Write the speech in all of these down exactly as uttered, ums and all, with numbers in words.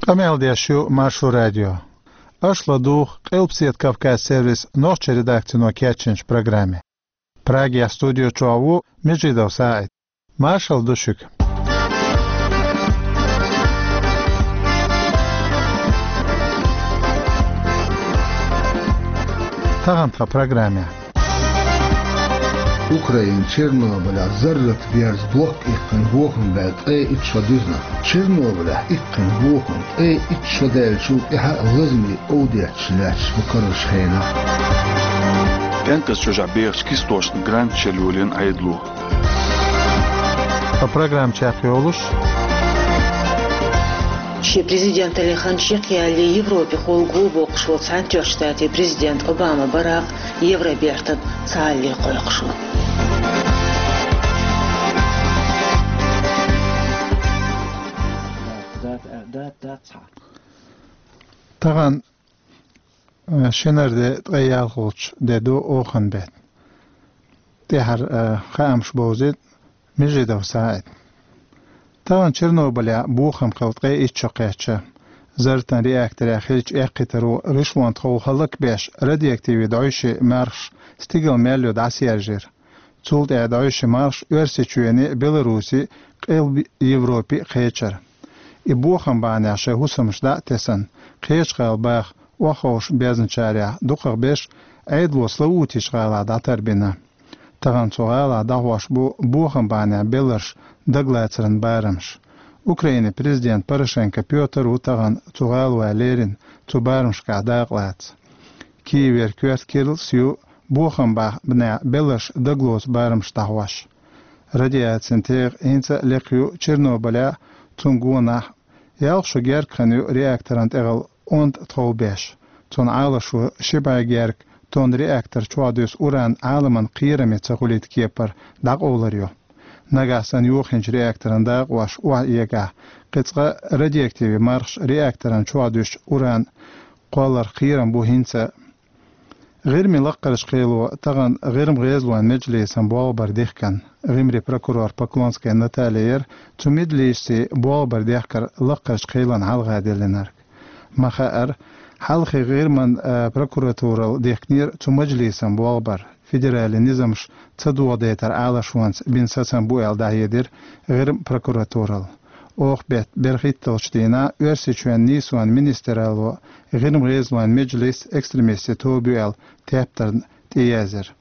Къамел деш ю Маршо радио. Аша ладугӀу Къилбседа Кавказ сервисан нохчийн редакцино кечйинчу программе. Прагехь студи чохь ву Межидов СаӀид. Маршалла ду шуьга. Тахана тхан программехь. Украинан Чернобылехь зарратан берзан бохка иккхина бохам баьлла ткъе итт шо дуьзна. Чернобылехь иккхина бохам ткъе итт шо даьллачул тӀаьхьа лазаме овдеташ лаьтташ бу карарчу хенахь. ПӀенказ чӀожахь бехачу кистошна грант черлайолийна Ӏедало. Ткъа программа чекхйолуш. Шен президенталлин хан чекхъялале Европехула гӀо боккхуш волу Цхьаьнатоьхначу Штатийн президент Обама Баракъ Евробертан цхьаалле кхойкхуш ву. Тахана, э, шинара де ткъе ялхалгӀачу де ду оханан беттан. ТӀаьхьара, э, хаамаш бовзийта Межидов СаӀида. Тахана Чернобылехь бохам хилла ткъе итт шо кхаьчна. Зарратан реакторехь хиллачу эккхийтаро гӀишлонна тхов хӀаллакбеш радиоактивни дӀовшийн мархаш стигала мел йо дӀасаяржийра. Цул тӀаьхьа дӀовшийн мархаш Оьрсийчоьне, Беларусе, Къилба Европе кхечира. И бохам бахьанехь шайн хӀусамаш дӀа а тесна, кхечу гӀала баха охьаховшабезначарех дукхах берш Ӏедало Славутичу гӀалахь дӀатарбина. Тахана цу гӀалахь дӀахьош бу бохам бахьанехь белларш дагалацаран барамаш. Украинан президент Порошенко Пётр ву тахана цу гӀалахь лерина цу барамашкахь дакъалаца. Киевера коьрта керлас ю бохам бахьанехь белларш дагалоцу барамаш дӀахьош. Радиацин тӀегӀа хӀинца а лекха ю Чернобылехь, цунна гонах ялх шо герга хан ю реакторан тӀехула онда тхов беш. Цунна Ӏалашо ши бӀе герга тонна реактор чохь дуьсу уран Ӏаламан кхераме ца хуьлийта кепара дӀакъовлар ю. Нагахь санна йохийначу реакторан дакъош охьаэгахь, кхин цкъа радиоактивни мархаш реакторан чохь дуьсучу уран кхолларх кхерам бу хӀинца а. ГӀирмийн лаккхарчу кхело тахана ГӀирма гӀезалойн меджлисан болх бар дихкина. ГӀирмийн прокурор Поклонская Наталья яра цу меджлисийн болх бар дехкар лаккхарчу кхелан хьалха диллинарг. Ма хаъара, хьалхе ГӀирман, а, прокуратурал дихкинера цу меджлисан болх бар. Федералан низамаш ца дохадайтар Ӏалашонца бина сацам бу аьлла дӀахьедира ГӀирма прокуратурал. Оха беттан берхӀитталгӀачу дийнахь Оьрсийчоьнан нийсонан министралло ГӀирма гӀезалойн меджлис экстремистийн тоба ю аьлла тептарна тӀеязйира.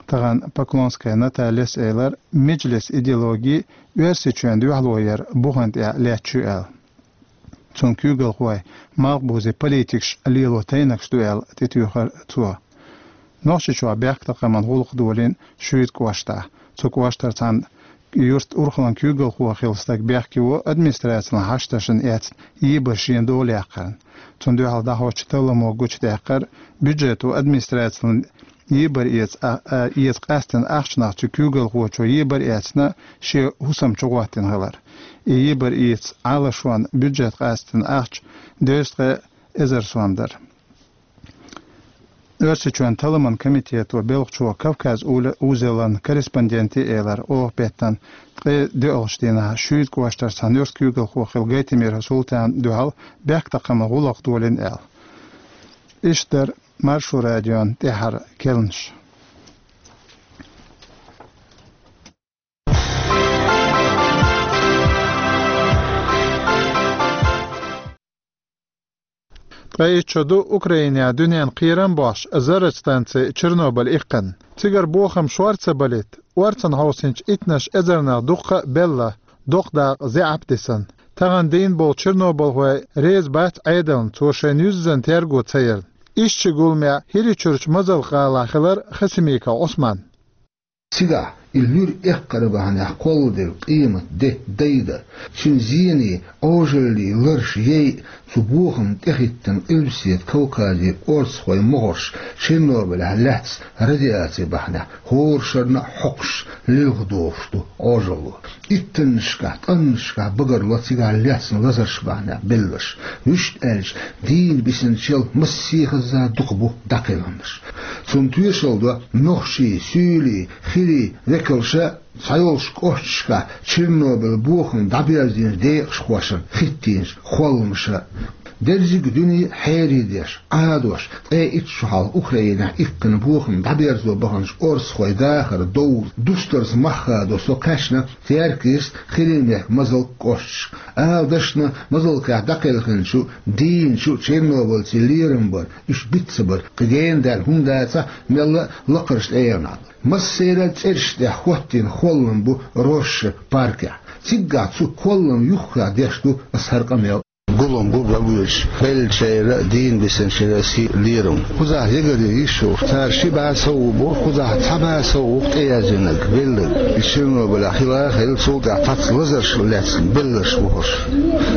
Тахана Поклонская Натальяс элира, меджлисан идеологи Оьрсийчоьнна дуьхьало яр бухана тӀехь лаьтташ ю аьлла. Цуьнан куьйгалхой малхбузийн политикаш лело тайнагаш ду аьлла тӀетуьйхира цо. Нохчийчохь бехктакхаман гӀуллакх долийна Шуьйта кӀоштахь. Цу кӀоштара цхьана юьртан урхаллин куьйгалхо хилла стаг бехке ву администрацин хьашташна эцна ебар шена дола яккхарна. Цунна дуьхьал дӀахьочу талламо гучудаьккхира бюджето администрацин ебар эца, а, а, эца къаьстина ахчанах цу куьйгалхочо ебар эцна шен хӀусам чу гӀоттина хилар. И ебар эца Ӏалашонна бюджета къаьстина ахча дезткъе эзар сом дара. Оьрсийчоьнан талламан комитето белхачо Кавказ ула-, узелан корреспонденте элира, оха беттан ткъе доьалгӀачу дийнахь Шуьйта кӀоштара цхьана юьртан куьйгалхо хилла Гайтамиров Султана дуьхьал бехктакхаман гӀуллакх долийна аьлла. Иштта дара Маршо радион тӀаьхьара керланаш. Ткъе итт шо ду Украинехь дуьненна кхерам бохьуш зарратан станци Чернобыль иккхина. Цигара бохам шор ца балийта, орцанна хьовсийначу иттанаш эзарнах дуккха а белла, доккха дакъа зӀе Ӏапдисина. Тахана дийна болу чернобылхой реза бац Ӏедална, цо шайна юьззина терго ца ярна. Иштта гуламехь ХӀирийчуьрчу Мазалх-гӀалахь хилира Хасимиков Ӏусман. Цигахь и луьра эккхар бахьанехь кхолладелла къематде дайда, цуьнан зений, Ӏожаллий ларш яйа, цу бохамна тӀехӀиттина Къилбаседа Кавказе орцахойн могӀарш Чернобылехь лаьцна радиаци бахьанехь хӀора шарна а хьокхуш лилха дохуш ду Ӏожалло. Иттаннашкахь, ткъаннашкахь багарло цигахь лаьцна лазарш бахьанехь белларш. Вуьшта аьлча, дийна бисинчул массехаза дукха бу дӀакхелхинарш. Цунна тоьшалла до нохчий, суьйлий, хилий, век Калша цхьайолчу кӀошташкахь Чернобыль бохам дӀаберзийначу декъашхошна хӀиттийначу кхолламаша. Дерриг дуьне хьередеш, Ӏадош, ткъе итт шо хьалха Украинехь иккхина бохам дӀаберзо баханчу орцахойн дахар довза, дустарца мах хадо со кхаьчна Теркйист, Хиримехк, Мазалк кӀошташка. Ала дашна, Мазалкехь дӀакхелхинчу, дийначу Чернобыльцийн лерам бара, уьш биц ца бара, кхин гена даьлла хӀума дацахь, мелла а лакхарчу тӀегӀанехь. Массеран а цӀераш тӀехь хӀоттийна кхоллам бу Рошша паркехь. Циггахь цу кхолламна юххехь деш ду аса хӀара къамел. Гулам бу бан боьдуш беллачеран а, дийна бисинчеран а сий лерам. Кхузахь ягаръян йиш йолуш, цара ши бӀе сов бу, кхузахь цхьа бӀе сов ву-кх тӀеяздинарг, белларг. И Чернобылехь хила а хилла, цул тӀаьхьа цхьацца лазарш лаьцна белларш бу хӀорш.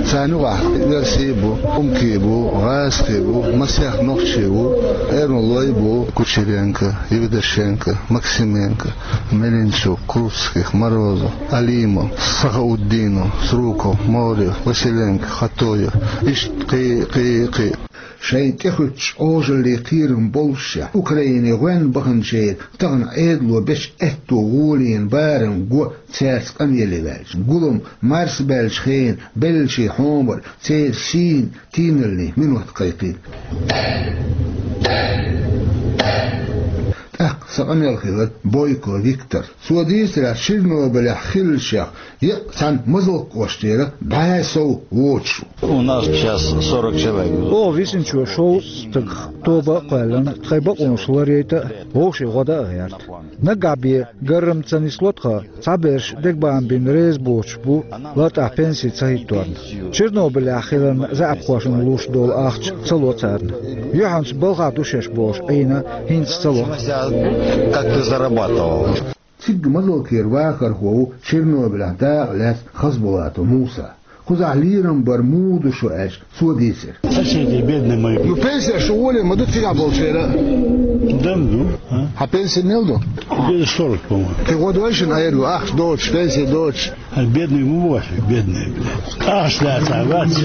Царна юкъахь оьрсий а бу, хӀумкий а бу, гӀазкхий а бу, масех нохчий а ву, эрмалой а бу, Кучеренко, Евдошенко, Максименко, Меленчук, Круцких, Морозов, Алимов, Сахаутдинов, Сруков, Морев, Василенко, Хатоев, иштта кхин а, кхин а, кхин а. Шайна тӀехуьттучу Ӏожаллин кхерам боллушехь, Украине гӀоьнна баханчеран тахана Ӏедало бечу аьтту гӀолина барам го цаьрца къамеле ваьлча, гулам марсабаьллачу хенан беллачийн хьомар церан сийна тийналлин минот кхайкхийна. ТӀаккха сан къамел хилира Бойко Виктор. Цо дийцарехь, Чернобылехь хиллачех еккъа цхьана Мазалк кӀоштера бӀе сов воцуш ву. У нас сейчас сорок человек. Оха висинчо шовзткъа стагах тоба а кхоьллина, тхайн бакъонаш ларъяйта а, вовшийн гӀо дан а гӀерта. Наггахь бен гаррам ца нисло тхан, цхьаберш дегабаам бина реза боцуш бу, лартӀехь пенси ца хӀитторна. Чернобылехь хилларна заьӀапхошна луш долу ахча ца ло царна. Юьхьанца балхахь ду шаьш бохуш Ӏийна хӀинца ца ло. Как ты зарабатывал? Цигга Мазалкера вахархо ву Чернобылехь дакъа лаьцна Хазбулатов Муса. Кхузахь лерам бар муха ду шу аьлча, цо дийцира. Соседи бедные мои. Ну, пенсия шу воле ма ду цигахь болчеран. Да, ну, а? Хьан пенсия мел ду? Где-то сорок, по-моему. Кхин гӀо дойшина айрго, ахча доцуш, пенсия доцуш. А бедный ему вовсе, бедный, блядь. Ахча лаьцна вац,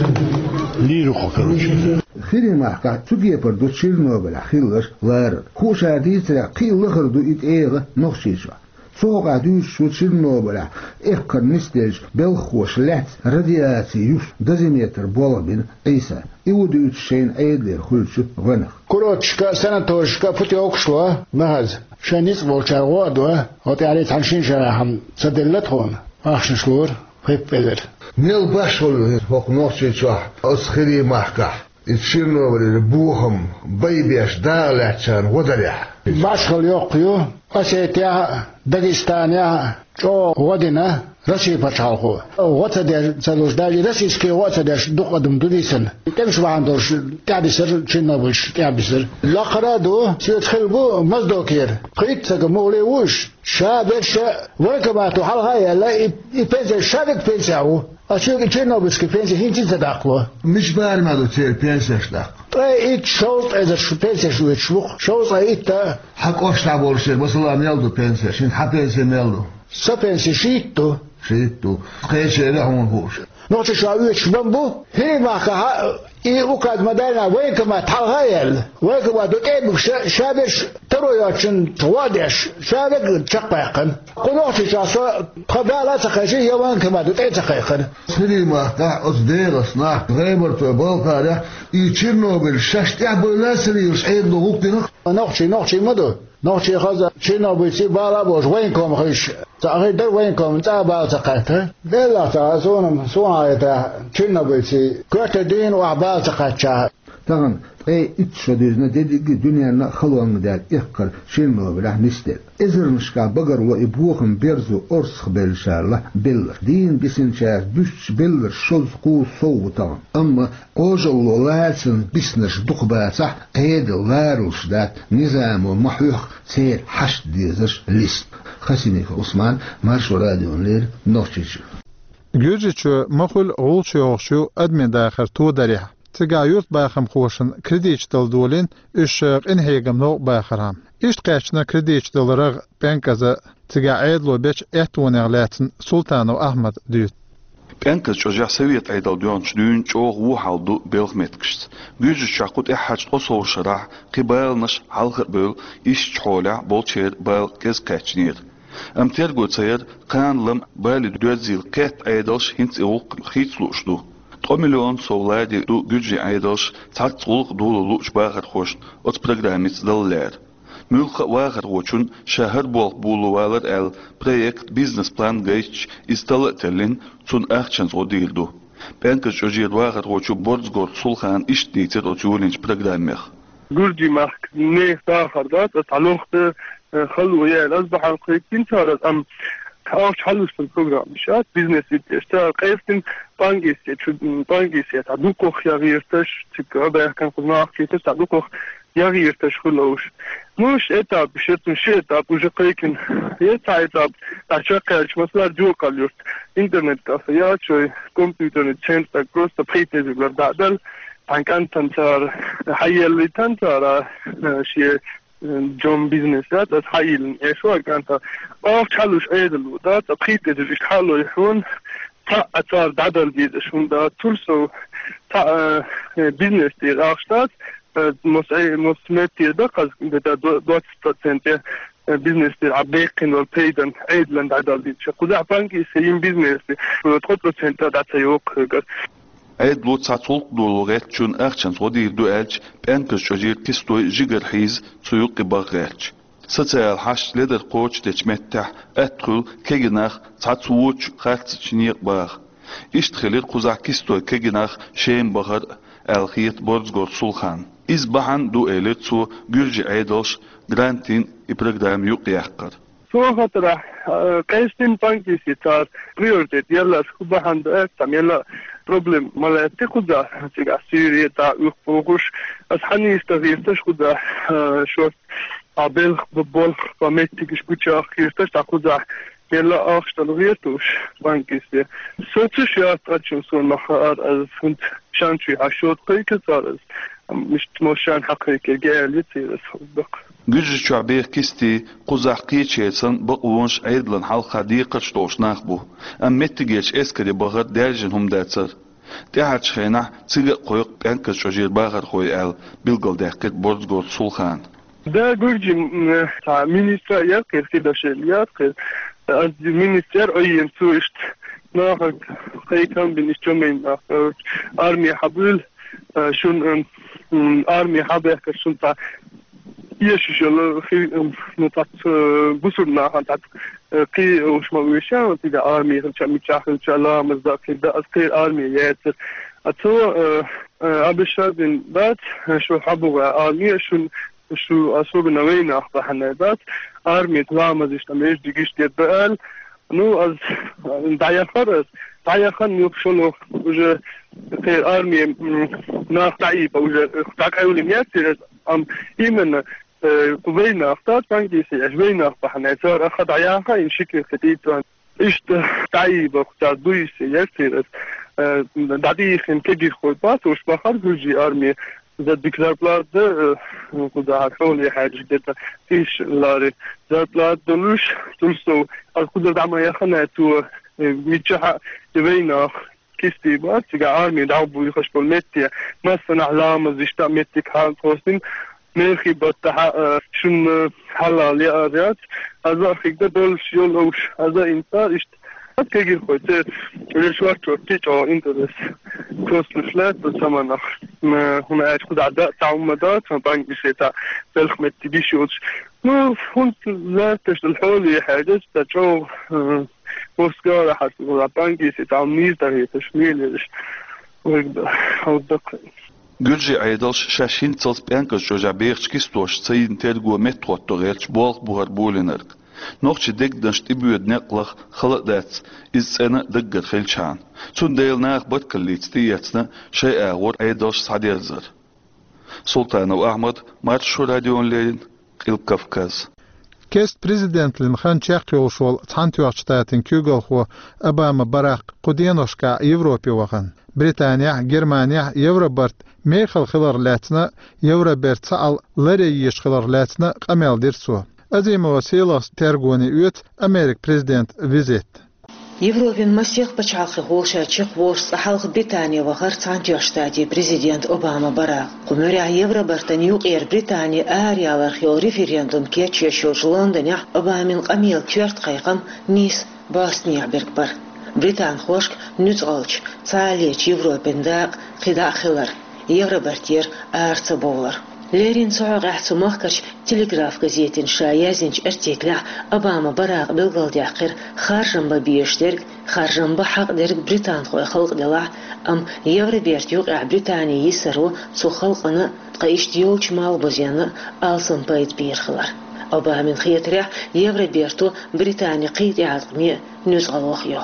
лийр ву, короче. Хиримахкахь цу кепара ду Чернобылехь хилларш ларар. Хууш дийцарехь, кхин а лахара ду и тӀегӀа Нохчийчохь. Цу хьокъехь дуьйцуш ву Чернобылехь эккхар нисделча белхахоша лаьцна радиаци юсу дозиметр болх бина Ӏийса. И ву дуьйцуш шайна Ӏедалера хуьлучу гӀоьнах. Курорташка а, санаторишка а путёвкаш ло, ма хаза. Шайн ницкъ болчара гӀо а до, хӀокху тӀаьхьа цхьана шина шарахь-м ца делла тхуна, ахчанаш лора, хӀиппелира. Мел башхалла ю хӀокху Нохчийчохь, оцу Хиримахкахь? И Чернобылера бохам байбеш дакъа лаьцначарна гӀо дарехь. Башхалла йоккха ю Осетехь а, Дагестанехь а чӀогӀа гӀо дина Россин пачхьалкхо. ГӀо ца деш ца луш, даже российский гӀо а ца деш, дукха адам ду дисина. ТӀемаш бахьана долуш тӀаьхьадисира, Чернобыльш тӀаьхьабисира. Лакхара а ду, соьца хилла бу Моздокера. Пхийтта стага муххале ву уьш. Ша берш военкомато хьалха а яьлла, и, и пенсия, ша верг пенсехь ву. Ас шуьга и чернобыльский пенсия хӀинца а ца даккхало. Мича барамехь ду церан пенсеш даккха? Ткъе итт, шовзткъа эзар шу пенсеш оьцуш ву-кх, шовзткъе итт. Хьан кӀоштахь болчеран масала мел ду пенсеш? ХӀинца хьан пенси мел ду? Сан пенси шийтта ду. Шийтта ду. Кхечеран а хьуна хууш. Нохчийчохь оьцуш бан бу, Хиримахкахь а и указ ма-дарра военкомат хьалха а яьлла. Военкомато тӀе а буьгуш, ша берш таро йоцучунна гӀо а деш, ша верг чекхваьккхина. Кху Нохчийчохь со тхан бала а ца кхайкхина, я военкомато тӀе а ца кхайкхина. Хиримахкахь оцу дегӀаца нах, гӀебартойн, балхаройн, и Чернобыль шаьш тӀехь бевлла а ца лелаш, Ӏедало гӀуллакх дина-кх. Нохчий нохчий ма ду. Нохчий хаза, чернобыльций бала а болуш, военкома хилча, цхьа хир дара военкоман цӀа а бала ца кхаьчча. Деллахь ца хаьа суна-м, суна хетарехь, чернобыльций коьрта дийна охьа бала ца кхаьчча. Тахана ткъе итт шо дуьзна дерриг а дуьненна а халонга даьлла эккхар Чернобылехь нисделла. Эзарнашкахь багарло и бохам берзо орцахбевллачарна белларш. Дийна бисинчаьрца буьстучу белларш шовзткъе кхузткъа сов ву тахана. Амма Ӏожалло лацарна биснарш дукха бацахь, Ӏедал ларалуш дац, низамо ма хьоьхху церан хьашт дезарш листа. Хасимиков Ӏусман, Маршо радиона леррина, Нохчийчоь. Гуьржийчоь ма хуьллу гӀулч йохуш ю адамийн дахар тодарехь. Цигахь юьртбахамхошна кредиташ дала долийна, уьш къинхьегамна новкъа бахархьама. Иштта кхаьчна кредиташ дала рагӀ ПӀенкӀаза, цигахь Ӏедало бечу аьттонех лаьцна Султанов Ахьмада дуьйцу. ПӀенкӀаза чӀожехь Совет Ӏедал доьхначу дуьйна чӀогӀа вон хьал ду белхан меттигашца. Гуьржийчохь кху тӀаьххьарчу ткъе сов шарахь кхин баланаш хьалха а бевлла, ишттачу хьолехь болчеран бала кӀезиг кхаьчнера. Амма терго ца яр, кхана лам а, бали доьрзийла кхетта Ӏедалш хӀинца и гӀуллакх хийца лууш ду. Ткъо миллион сов ладийр ду гуьржийн Ӏедалш цхьацца гӀуллакх дола луучу бахархошна оцу программица дала лаьара. Муьлхха а вахархочун ша хӀара болх боло валар аьлла, проект, бизнес-план гайтча, иза тала а теллина, цунна ахчанца гӀо дийр ду. ПӀенказ чӀожера вахархочо Борзгорт Сулхана иштта дийцира оцу йолийначу программех. Гуьржийн махка нехан дахар дац, аса хьалохта, э, хало яьлла, аса бахьана кхайкхина цара, амма ахча хьалуьстун программа ша, бизнес йитеш. Цара къевсина панкиссе, чу, м, панкиссе, цхьа дукхах ягӀ йирташ, цига баьхкина кхуза нах кхеташ, цхьа дукхах ягӀ йирташ хуьлуш. Ну, ш этап, шецун ши этап уже кхайкхина. Е цхьа этап, цхьа чаккхаьлча, масала, Джокал-Юрт, интернет-кафе яц шоай, компьютерный центр, так просто пхийтта эзар лар дӀа а дала, цхьана кӀантана цара хьаеллийтан цара, э, шен, э, жом бизнес яц, аса хьайиллина эшо а кӀанта. Ахча хьалуш Ӏедало дац, цхьа пхийтта эзар иштта хьалой хьуна, цхьаъ а цара дӀадала дезаш хӀума дац, цул сов цхьа, э, бизнес тӀера ахча дац, э, мос-, э, мос-, меттера дан хаза, где-то до-, двадцать процентов, э, бизнес тӀера Ӏа беккхина волу пайдан Ӏедалан дӀадала дезаш. Кхузахь панкиссе йина бизнес, э, ткъо процент а дӀа ца йоккху хьоьгара. Ӏедало цхьацца гӀуллакх доло гӀертачунна ахчанца гӀо дийр ду аьлча, пӀенказ чӀожера кистой жигара хьийза цу юккъе баха гӀерташ. Социал хьашташ ледар кхочушдечу меттехь атта хуьлу кегий нах цхьацца вочу харцачу некъа баха. Иштта хилира кхузахь кистой кегий нах Шема бахар а, аьлла хета Борзгорт Сулхана. Иза бахьана а ду, элира цо, гуьржийн Ӏедалш грантийн и программа юкъаяккхар. Цо хатарахь, э, къестина панкиссе цара приоритет ялларш хӀун бахьана ду аьлча, цхьа мелла а проблема ма лаьтта кхузахь, цигахь Сирия, тӀаккха уьхкухуш, аса хьанийса дан гӀирташ кхузахь, э, шорта, а белх бу-, болх бан меттигаш гучах гӀирташ, тӀаккха кхузахь мелла а ахча дала гӀертуш панкиссе. Со ца шоьтта, ткъа чу суна ма хаара, аса хӀунда шанчуй хьан шоьтта кхайкхира цара аса, ам, мишта мо шайна хьакхайкхира, геали церас хӀума баккха. Гуьржийчохь беха кисти кхузахь кхечеран санна бакъонаш Ӏедалан хьалха декхарш долуш нах бу, амма меттигерчу эскаре бахар даьржина хӀума дацара. ТӀаьхьарчу хенахь цига а кхойкху пӀенказ чӀожера бахархой аьлла, билгалдаьккхира Борзгорт Сулхана. Да, гуьржийн, м, цхьа министр а яра кхера, Хидашвили яра кхера. Ас министр яра Ӏойина, цо иштта нахах кхайкхам бина, иштта чомийн нах, э, арме хьабуьйла, э, шуна, м, м, арме хьабехкар шуна цхьа эшаш йолу хи-, м, ну, цхьацца, э, бусург нахана цхьацца, э, кхин уьш ма вуьйша, цига арме хилча, мичахь хилча, ламаз дан хир дан, ас кхера арме яцара. А цо, э, э, обещать дина дац, э, шу хьабугӀа арме, шун, шу особенно вайнах бахьана дац, арме ламазаш там эш дигиш дед баал. Ну, аз, э, дӀаяхар аз, дӀаяхан юх шуну уже кхера арме, м, нах дӀаийба уже, э, дӀакъевлина яцара, ам, именно, э, вайнах, та панкиссе еш вайнах бахьана, цара аха дӀаяха, ин шикир хетийта. Иштта дӀаийба, цара дуйсе яцара, э, дӀадийхина кегийрхой бац, уьш бахар гуьржийн арме, за дика зарплата да, э, кхузахь хьоле хьаьжча, где-то тысяча лари зарплата долуш, цул сов, аз кхузара дӀа ма яхана, цо, э, миччахьа, и вайнах, кисти бац, цига арми дӀабуьйхуш болу метте, массанахь ламаз иштта меттиг хьал кхоссина, мехи баттахьа, а, шуна хьалал яар яц, аза а хигда долуш йолуш, аза инсар иштта. Ат кегирхой церан, уьш варчо кхин чӀогӀа интерес кхоссалуш лаьтта цаманах. М, хӀума аьлча кхузахь дан а цхьа хӀума дац, сан панкиссе цхьа белхан меттиг йиш йоцуш. Ну, хӀунда лаьтташ дала хьоле хьаьжча, сан чӀогӀа, м, Москвара хьаьрча, панкиссе цхьа хӀума нийса дӀахьоьцуш, мелераш. Вайга хьалдаккха. Гуьржийн Ӏедалш шаьш хӀинццалц пӀенказ чӀожехь бехачу кистошца ца йина терго меттахӀотто гӀерташ болх бу хӀара болийнарг. Нохчийн дегнаш тӀебоьду некъ лаха хала а дац, иза цӀена а даггара хилчхьана. Цундела наха баркаллица тӀеэцна шайн агӀор Ӏедалш схьадерзар. Султанов Ахьмад, Маршо радиона леррина, Къилба Кавказ. Кест президентлин хан чекхйолуш волу Цхьаьнатоьхначу Штатийн куьйгалхо Обама Баракх кху деношкахь Европе вахана. Британехь, Германехь Евробарт мехала хилар лаьцна, Евроберт цхьаалла ларъеш хилар лаьцна къамел дира цо. Азимова Сийлахьс тергоне оьцу Америкин президентан визит. Европин масех пачхьалкхе хьулшачех волуш цкъа хьалха Британе вахара Цхьаьнатоьхначу Штатийн президент Обама Баракъ. Кху муьрехь Евробартан юкъера Британи араяьлларх йолу референдум кечъеш йолчу Лондонехь Обамин къамелан коьрта кхайкхам нийса бӀостанехьа берг бара. Британхошка нуьцкъалчу, цхьааллечу Европин дакъа кхидӀа а хилар, Евробартера ара ца бовлар. Леррина цу хьокъехь цу махкарчу Телеграф газетина ша яздинчу артиклехь Обама Баракъа билгалдаьккхира харжам бан безаш дерг, харжам бан хьакъ дерг британхойн халкъ делахь, амма Евробертан юкъехь Британи йисаро цу халкъана а, ткъа иштта йолчу малхбузенна а алсам пайда бийр хилар. Обамина хетарехь, Евроберто Британи кхин тӀеӀаткъаме а нуьцкъалах йо.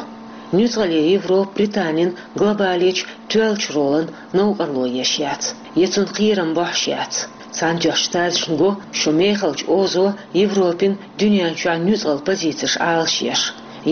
Нуьцкъале Европа Британин глобалечу тоьллачу ролан новкъарло еш яц, я цунна кхерам бохьуш яц. Цхьаьнатоьхначу Штаташна го шун мехалчу озо Европин дуьнен чохь нуьцкъала позицеш Ӏалашъеш,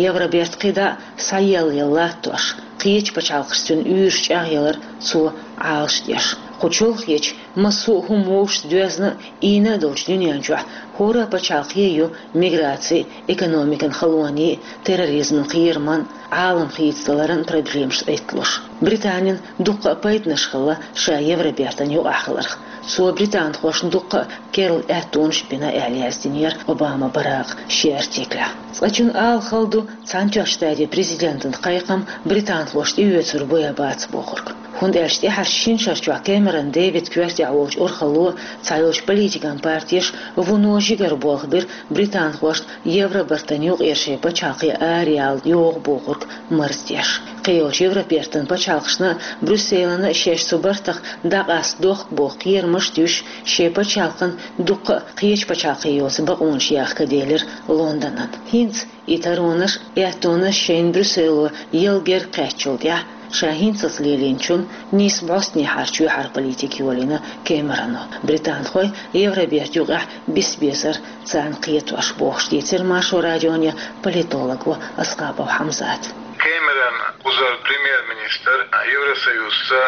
Евроберт кхидӀа а схьаелла латтош, кхечу пачхьалкхашца цуьнан уьйраш чӀагӀъялар цо Ӏалашдеш. Кху чолхечу, массо а хӀума вовшашца доьзна а, ийна а долчу дуьнен чохь хӀора а пачхьалкхе ю миграцин, экономикан халонийн, терроризман кхераман, Ӏалам хийцадаларан проблемаш Ӏитталуш. Британина дуккха а пайданаш хилла ша Евробертан юкъахь хиларх. Цо британхошна дуккха а керла аьттонаш а бина, аьлла яздинера Обама Баракъа шен артиклехь. Цкъачунна ала хала ду, Цхьаьнатоьхначу Штатийн президентан кхайкхам британхошна тӀеоьцур буй-бац бохург. ХӀунда аьлча тӀаьхьарчу шина шарчохь Кэмерон Дэвидан коьртехь волчу урхалло, цхьайолчу политикан партеша вуно жигара болх бира британхошна Евробартан юкъера шайн пачхьалкхе араяла йогӀу бохург марздеш. Кхийолчу Евробертан пачхьалкхашна а, Брюсселана а шаьш цу бартах дӀакъаста дохку боху кхерамаш а дуьсуш, шайн пачхьалкхан дуккха а кхечу пачхьалкхе йоцу бакъонаш яхка делира Лондонан. ХӀинца и таронаш, аьттонаш шайна Брюссело яла герга кхаьчначул тӀаьхьа, ша хӀинцалц лелийначунна нийса бӀостанехьара чоьхьара политика йолийна Кэмероно. Британхой Евроберта юкъехь бисбезара царна кхетош, бохуш дийцира Маршо радионе политолого Аскапов Хьамзата. Кэмерон кхузара премьер-министр, Евросоюзца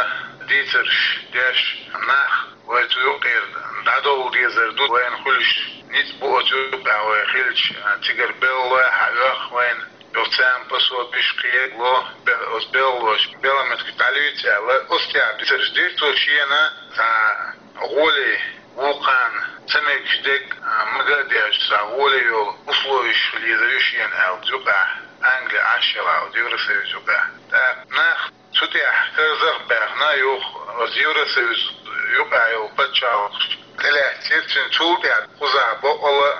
дийцарш деш, нах вай цу юкъера дӀадовла дезар ду, вайна хуьлуш ницкъ бу оцу юкъахь вай хилча, цигара беллалой хьан оьху вайна, юха царна пособиш кхело, бе-, оцу беллалоша белхан меттиг дӀалуьйцу аьлла, оцу тӀехь дийцарш дира цо шена, цхьа гӀоле вукхарна ца мегаш дерг, а, мага а деш, цхьа гӀоле йолу условиш хила езар ю шена аьлла, юкъахь Англи Ӏаш елахь оцу Евросоюз юкъахь. ТӀаккха нах цу тӀехь карзах а баьхна, юха оцу Евросоюз юкъахь йолу пачхьалкхаш тӀелаьцнера цуьнан, цул тӀаьхьа кхузахь бакъала,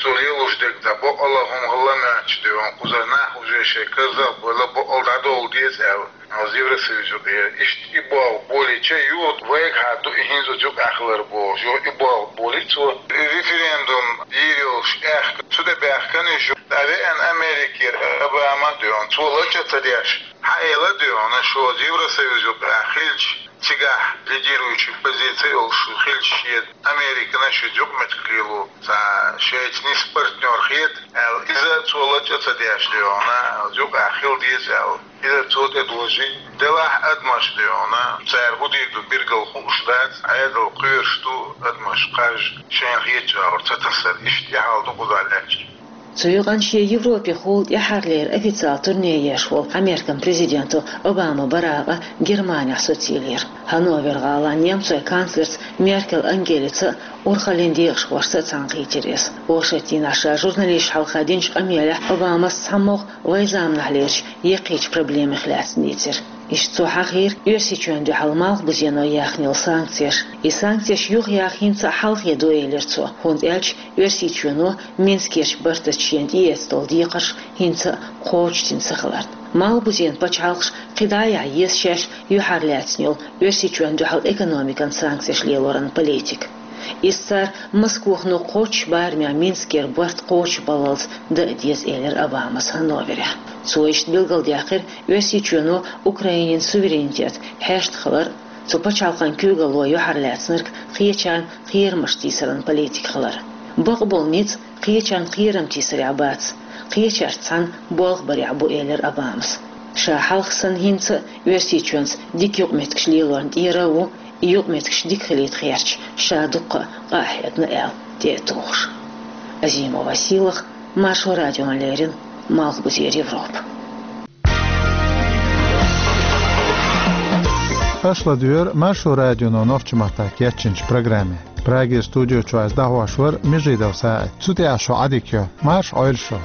цо лелош дерг дӀа бакъала хӀума хилла моьттуш ду хьуна, кхузара нах уже шайн карзах а бевлла, бакъала дӀадовла деза аьлла, оцу Евросоюз юкъера. Иштта и болх болийча, юха вайгахьа ду и хӀинца оцу юкъахь хилар бохуш, юха и болх болий цо. И референдум дийр йолуш аьхка, цу тӀе баьхкина уьш, дӀавеана Америкера Обама а ду хьуна, цо лачкъа а ца деш, хьаэла а ду хьуна, шу оцу Евросоюз юкъахь хилча, цигахь лидирующий позици йолуш хилча шен Американа шуьца юкъаметтиг лело, цхьа шайца нийса партнер хета аьлла, иза цо лачкъа а ца деш ду хьуна, юкъахь хила деза аьлла, иза цо тӀедожий. Делахь адамаш ду хьуна, цара хӀун дийр ду билггал хууш дац, Ӏедал кхоьруш ду, адамаш кхаж шайна хетачу агӀор ца тасар, иштта и хьал ду кхузахь лаьтташ. Цу юкъанна шен Европехула тӀаьххьарлера официалан турне еш волу Американ президенто Обама Баракъа Германехь социйла йира. Ханновер-гӀалин немцойн канцлерца Меркель Ангелица а, урхаллин декъашхошца а цхьаьнакхийтира иза. Оршотдийнахь ша журналисташна хьалха динчу къамелехь Обамас цхьамогӀа вайн заманахь лелачу яккхийчу проблемех лаьцна дийцира. Иштта цо хьахийра Оьрсийчоьнна дуьхьал малхбузено яьхна йолу санкцеш. И санкцеш юхаяха хӀинца а хьалхе ду, элира цо, хӀунда аьлча Оьрсийчоьно Минскерчу бартаца шена тӀеэцна долу декхарш хӀинца а кхочушдина ца хиларна. Малхбузен пачхьалкхаш кхидӀа а яхьа еза шаьш юьхьарлаьцна йолу Оьрсийчоьнна дуьхьал экономикан санкцеш лелоран политика. Иза цара Москвахано кхоччуш барамехь Минскера барт кхочушбаллалц дан а деза, элира Обамас Ханноверехь. Цо иштта билгалдаьккхира Оьрсийчоьно Украинин суверенитет хьаштахилар, цу пачхьалкхан куьйгалло юьхьарлаьцнарг кхечарна кхерамаш тийсаран политика хилар. Бакъболу ницкъ кхечарна кхерам тийсарехь бац, кхечаьрца цхьаьна болх барехь бу, элира Обамас. Ша хьалха санна хӀинца а Оьрсийчоьнца дика юкъаметтигаш лелорна тӀера а ву, и юкъаметтигаш дика хилийта гӀерташ, ша дуккха а къа а хьегна аьлла тӀе а тухуш. Азимова Сийлаха, Маршо радиона леррина, Малхбузера Европа. Аша ладугӀура Маршо радионо нохчийн маттахь кечйинчу программе. Прагера студи чуьра ас дӀахьош вара Межидов СаӀид. Цу тӀехь шун Ӏадика йо. Марша Ӏойла шу.